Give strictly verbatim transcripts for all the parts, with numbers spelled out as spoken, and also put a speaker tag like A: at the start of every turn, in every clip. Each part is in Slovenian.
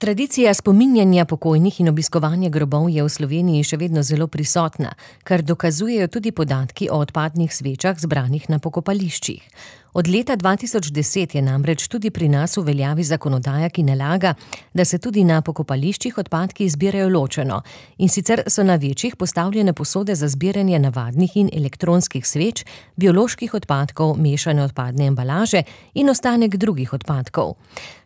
A: Tradicija spominjanja pokojnih in obiskovanja grobov je v Sloveniji še vedno zelo prisotna, kar dokazujejo tudi podatki o odpadnih svečah zbranih na pokopališčih. Od leta dva tisoč deset je namreč tudi pri nas v veljavi zakonodaja, ki nalaga, da se tudi na pokopališčih odpadki zbirajo ločeno, in sicer so na večjih postavljene posode za zbiranje navadnih in elektronskih sveč, bioloških odpadkov, mešane odpadne embalaže in ostanek drugih odpadkov.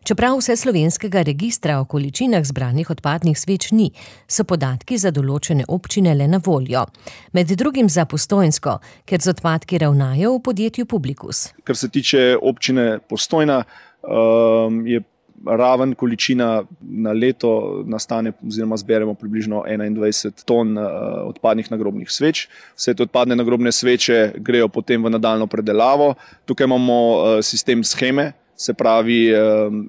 A: Čeprav vseslovenskega registra o količinah zbranih odpadnih sveč ni, so podatki za določene občine le na voljo. Med drugim za Postojnsko, ker z odpadki ravnajo v podjetju Publikus.
B: Kar se tiče občine Postojna, je raven količina na leto nastane oziroma zberemo približno enaindvajset ton odpadnih nagrobnih sveč. Vse te odpadne nagrobne sveče grejo potem v nadaljnjo predelavo. Tukaj imamo sistem sheme, se pravi,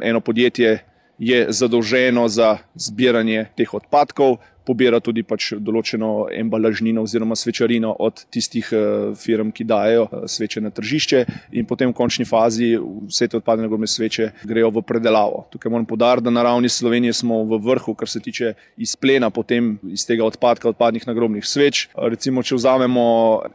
B: eno podjetje je zadolženo za zbiranje teh odpadkov, pobira tudi pač določeno embalažnino oziroma svečarino od tistih firm, ki dajejo sveče na tržišče, in potem v končni fazi vse te odpadne nagrobne sveče grejo v predelavo. Tukaj moram poudariti, da na ravni Slovenije smo v vrhu, kar se tiče izplena potem iz tega odpadka odpadnih nagrobnih sveč. Recimo, če vzamemo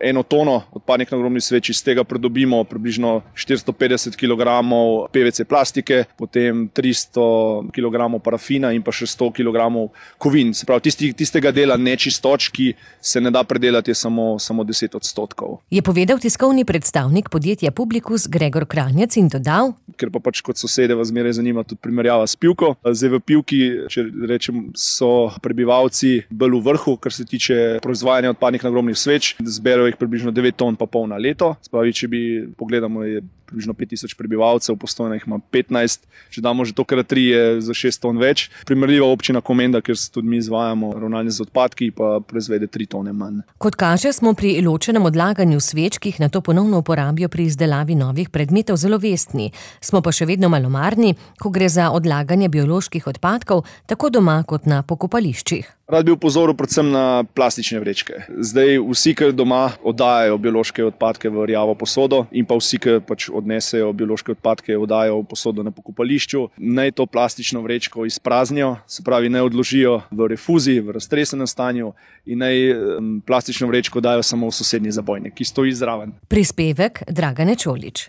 B: eno tono odpadnih nagrobnih sveč, iz tega pridobimo približno štiristo petdeset kilogramov P V C plastike, potem tristo kilogramov parafina in pa še sto kilogramov kovin. Se pravi, tisti tistega dela nečistoč, ki se ne da predelati, je samo, samo deset odstotkov.
A: Je povedal tiskovni predstavnik podjetja Publikus Gregor Kranjec in dodal:
B: Ker pa pač kot sosede vas zmeraj zanima tudi primerjava s Pivko. Zdaj v Pivki, če rečem, so prebivalci bolj v vrhu, kar se tiče proizvajanja odpadnih nagrobnih sveč. Zberajo jih približno devet ton pa pol na leto. Spravi, če bi pogledamo, je približno pet tisoč prebivalcev, Postojna jih ima petnajst. Če damo že to krat tri, je za šest ton več. Primerljiva občina Komenda, ker se tudi mi izvajamo ravnanje z odpadki, pa proizvede tri tone manj.
A: Kot kaže, smo pri ločenem odlaganju sveč, ki jih nato ponovno uporabijo pri izdelavi novih predmetov, zelo vestni. Smo pa še vedno malomarni, ko gre za odlaganje bioloških odpadkov, tako doma kot na pokopališčih.
B: Rad bi opozoril predvsem na plastične vrečke. Zdaj vsi, ki doma oddajajo biološke odpadke v rjavo posodo, in pa vsi, ki pač odnesejo biološke odpadke, oddajajo v posodo na pokopališču, naj to plastično vrečko izpraznijo, se pravi, naj odložijo v refuzi, v raztresenem stanju, in naj plastično vrečko dajo samo v sosednji zabojnik, ki stoji zraven.
A: Prispevek Dragane Čolić.